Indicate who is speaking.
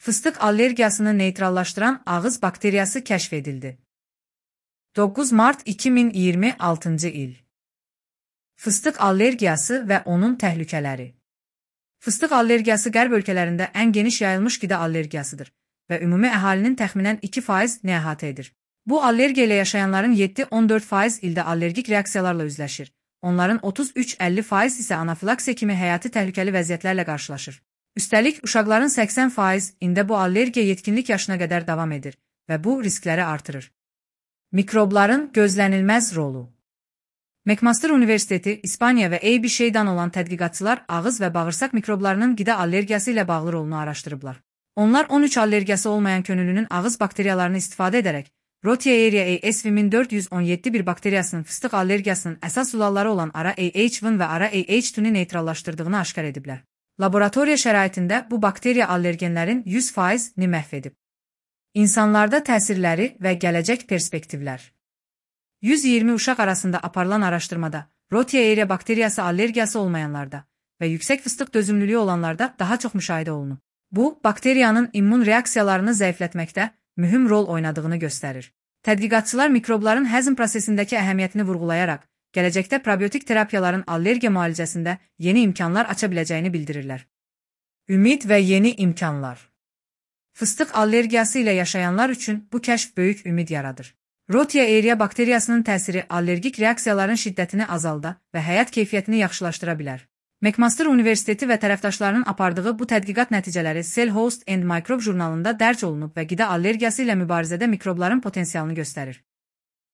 Speaker 1: Fıstıq allergiyasını neytrallaşdıran ağız bakteriyası kəşf edildi. 9 Mart 2026 il. Fıstıq allergiyası və onun təhlükələri. Fıstıq allergiyası qərb ölkələrində ən geniş yayılmış qida allergiyasıdır və ümumi əhalinin təxminən 2% əhatə edir. Bu allergiya ilə yaşayanların 7-14% ildə allergik reaksiyalarla üzləşir. Onların 33-50% isə anafilaksiya kimi həyati təhlükəli vəziyyətlərlə qarşılaşır. Üstəlik, uşaqların 80% ində bu allergiya yetkinlik yaşına qədər davam edir və bu riskləri artırır. Mikrobların gözlənilməz rolu. McMaster Universiteti, İspaniya və ABC-dan olan tədqiqatçılar ağız və bağırsaq mikroblarının qida allergiyası ilə bağlı rolunu araşdırıblar. Onlar 13 allergiyası olmayan könüllünün ağız bakteriyalarını istifadə edərək Rotaria AS1417 bir bakteriyasının fıstıq allergiyasının əsas sualları olan ara AH1 və ara AH2-ni neytrallaşdırdığını aşkar ediblər. Laboratoriya şəraitində bu bakteriya allergenlərin 100%-ni məhv edib. İnsanlarda təsirləri və gələcək perspektivlər. 120 uşaq arasında aparılan araşdırmada Rotaria bakteriyası allergiyası olmayanlarda və yüksək fıstıq dözümlülüyü olanlarda daha çox müşahidə olunub. Bu, bakteriyanın immun reaksiyalarını zəiflətməkdə mühüm rol oynadığını göstərir. Tədqiqatçılar mikrobların həzm prosesindəki əhəmiyyətini vurğulayaraq, gələcəkdə probiotik terapiyaların allergiya müalicəsində yeni imkanlar aça biləcəyini bildirirlər. Ümid və yeni imkanlar. Fıstıq allergiyası ilə yaşayanlar üçün bu kəşf böyük ümid yaradır. Rotaria bakteriyasının təsiri allergik reaksiyaların şiddətini azalda və həyat keyfiyyətini yaxşılaşdıra bilər. McMaster Universiteti və tərəfdaşlarının apardığı bu tədqiqat nəticələri Cell Host and Microbe jurnalında dərc olunub və qida allergiyası ilə mübarizədə mikrobların potensialını göstərir.